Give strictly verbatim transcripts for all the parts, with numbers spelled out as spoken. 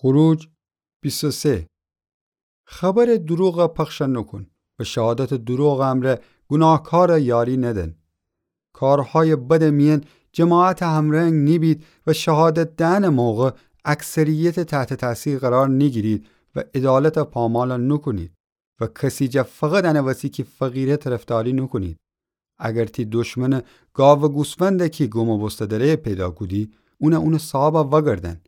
خروج بیست و سه. خبرٚ دروغَ پخش نوکون و شهادتٚ دروغٚ امرأ گوناهکارَ یاری ندن. کارهایٚ بدٚ میأن جماعتٚ همرنگ نیبید و شهادت دئنٚ موقع اکثریتٚ تحتٚ تأثیر قرار نیگیرید و عدالتَ پامال نوکونید و کسی جا فقط انٚ وسی کی فقیره طرفداری نوکونید. اگر تی دشمنٚ گاوٚ گوسفندَ کی گم و بوسته دأره پیدا کودی، اونَ اونٚ صاحبَ وأگردأن.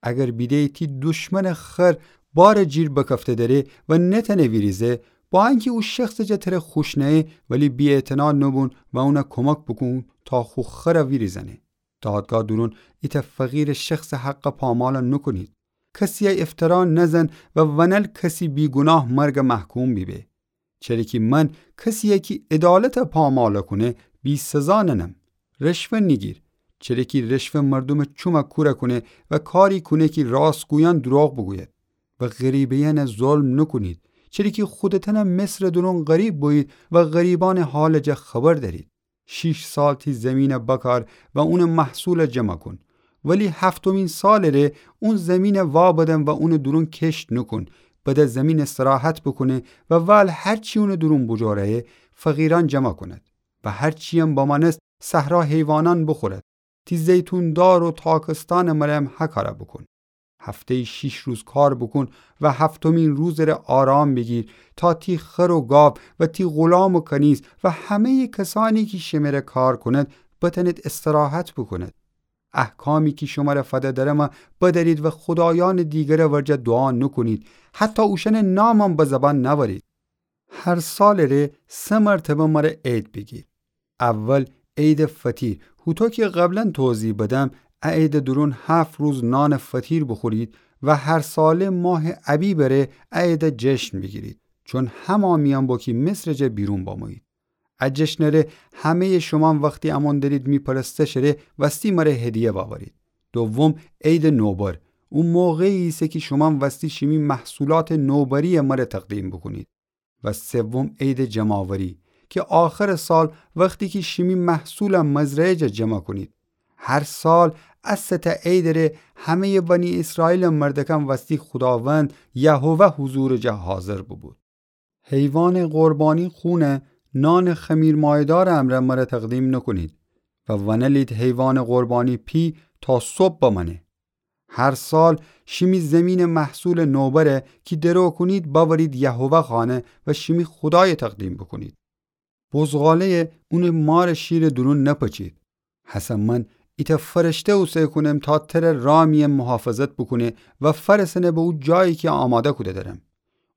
اگر بیده‌یی تی دشمنٚ خر بارٚ جیر بکفته دأره و نتأنه ویریزه، با انکی او شخصٚ جا تره خوش نأیه، ولی بی‌اعتنا نوبون و اونَ کمک بوکون تا خو خرَ ویریزأنه. دادگاه دورون ایتأ فقیرٚ شخصٚ حقَ پامال نوکونید. کسیَ افترا نزن و ونل کسی بیگوناه مرگَ محکوم بیبه. چره کی من کسیَ کی عدالتَ پامال کونه بی‌سزا ننم. رشوه نیگیر، چره کی رشوه مردومٚ چومَ کور کونه و کاری کونه کی راستگویأن دروغ بوگوید. و غریبه‌یأنَ ظلم نوکونید، چره کی خودتأنَ مصرٚ دورون غریب بویید و غریبأنٚ حالٚ جا خبر دأرید. شیش سال تی زیمینَ بکار و اونٚ محصولَ جمع کون. ولی هفتمین سالٚ ره اون زیمینَ وابدن و اونٚ دورون کشت نوکون. بده زیمین استراحت بوکونه و ول هرچی اونٚ دورون بوجوره‌یه فقیرأن جمع کونید و هرچی‌یم بمأنست صحرا حیوانأن بوخورید. تی زیتون دار و تاکستأنٚ مره‌یم هکاره بوکون. هفته‌یی شیش روز کار بوکون و هفتمین روزٚ ره آرام بیگیر، تا تی خر و گاو و تی غلام و کنیز و همه‌یٚ کسأنی کی شمره کار کونید، بتأنید استراحت بوکونید. احکامی کی شمره فده درمه بدأرید و خدایأنٚ دیگرٚ ورجه دوعا نوکونید، حتی اوشأنٚ نامم به زبان نأورید. هر سالٚ ره سه مرتبه مره عید بیگیر. اول عیدٚ فطیر، هوطو کی قبلا توضیح بدم، ا عیدٚ دورون هفت روز نانٚ فطیر بوخورید و هر ساله ماهٚ ابیبٚ ره ا عیدٚ جشن بیگیرید، چون همأ میأن بو کی مصرٚ جا بیرون بمویید. ا جشنٚ ره همه‌یٚ شومأن وختی امون دأرید می پرستشٚ ره وستی مره هدیه وأورید. دوم عیدٚ نوبر، او موقعی ایسه کی شومأن وستی شیمی محصولاتٚ نوبری‌یَ مره تقدیم بوکونید. و سوم عیدٚ جمع‌آوری، کی آخرٚ سال وختی کی شیمی محصولَ مزرعه جا جمع کونید. هر سال ا سه تأ عیدٚ ره همه‌یٚ بنی اسرائیلٚ مردکان وستی خوداوند یهوه حضورٚ جا حاضر بوبو. حیوانٚ قربانی خونَ نانٚ خمیرمایه‌دارٚ امرأ مره تقدیم نوکونید و ونلید حیوانٚ قربانی پی تا صبح بمأنه. هر سال شیمی زیمینٚ محصولٚ نوبرَ کی درو کونید بأورید یهوه خانه و شیمی خودایَ تقدیم بوکونید. بزغاله‌یَ اونٚ مارٚ شیرٚ دورون نپچید. هسه من ایتأ فرشته اوسه کونم تا تره رأ میأن محافظت بوکونه و فأرسأنه به او جایی کی آماده کوده درم.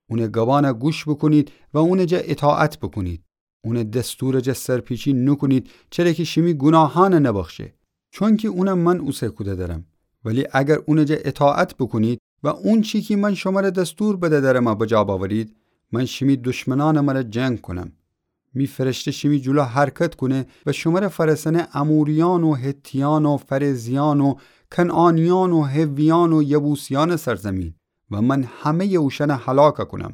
اونٚ گبأنَ گوش بوکونید و اونٚ جا اطاعت بوکونید. اونٚ دستورٚ جا سرپیچی نوکونید، چره کی شیمی گوناهأنَ نبخشه. چونکی اونَ من اوسه کوده درم. ولی اگر اونٚ جا اطاعت بوکونید و اونچی کی من شمره دستور بده درمه بجا بأورید، من شیمی دشمنأنٚ مره جنگ کونم. می فرشته شیمی جلو حرکت کونه و شمره فأرسأنه اموریأن و حتیأن و فرزیأن و کنعانیأن و حویأن و یبوسیأنٚ سرزیمین و من همه‌یٚ اوشأنَ هلاک کونم.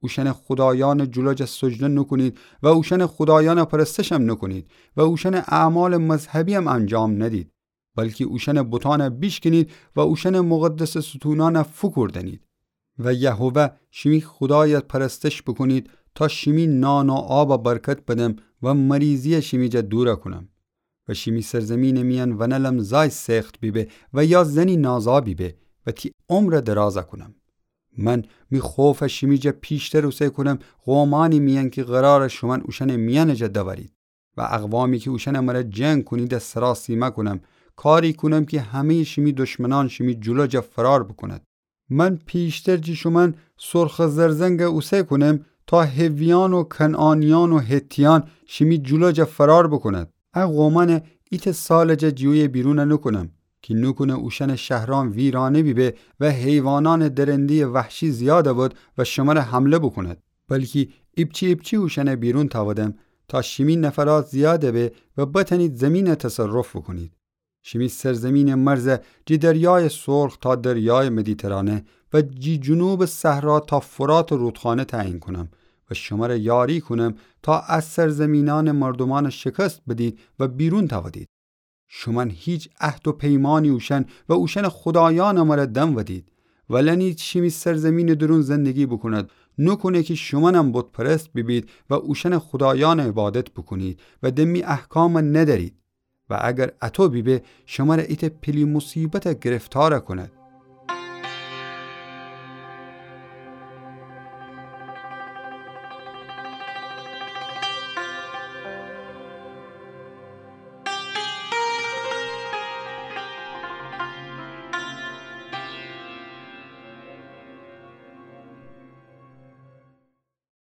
اوشأنٚ خودایأنٚ جلو جا سجده نوکونید و اوشأنٚ خودایأنٚ پرستشم نوکونید و اوشأنٚ اعمالٚ مذهبی‌یم انجام ندید، بلکی اوشأنٚ بتأنَ بیشکنید و اوشأنٚ مقدسٚ ستونأنَ فوکوردنید. و یهوه شیمی خودایَ پرستش بوکونید تا شیمی نان و آبَ برکت بدم و مریضی‌یَ شیمی جا دور کونم. و شیمی سرزیمینٚ میأن ونلم زای سخت بیبه و یا زنی نازا بیبه و تی عمرَ دراز کونم. من می خوفَ شیمی جا پیشتر اوسه کونم قومأنی میأن کی قرارٚ شومأن اوشأنٚ میأنٚ جا دورید و اقوامی کی اوشأنٚ مره جنگ کونیدَ سراسیمه کونم، کاری کونم کی همه‌یٚ شیمی دشمنأن شیمی جلو جا فرار بوکونید. من پیشتر جی شومأن سرخٚ زرزنگَ اوسه کونم تا حویأن و کنعانیأن و حتیأن شیمی جلو جا فرار بوکونید. ا قومأنَ ایتأ سالٚ جا جیویَ بیرون نوکونم کی نوکونه اوشأنٚ شهرأن ویرانه بیبه و حیوانأنٚ درنده‌یٚ وحشی زیاد بود و شمره حمله بوکونید. بلکی ایپچی ایپچی اوشأنَ بیرون تأودم تا شیمی نفرات زیاد به و بتأنید زیمینَ تصرف بوکونید. شیمی سرزیمینٚ مرز جی دریایٚ سرخ تا دریایٚ مدیترانه و جی جنوبٚ صحرا تا فراتٚ رودخانه تعیین کونم و شمره یاری کونم تا ا سرزیمینأنٚ مردومأنَ شکست بدید و بیرون تأودید. شومأن هیچ عهد و پیمأنی اوشأن و اوشأنٚ خودایأنٚ مره دنودید ولأنی چی می سرزمینٚ دورون زندگی بوکوند، نوکونه کی شومأنم بت‌پرست بیبید و اوشأنٚ خودایأنٚ عبادت بوکونید و دمی احکام ندأرید. و اگر اطو بیبه، شمره ایتأ پیلی موصیبت گرفتار کوند.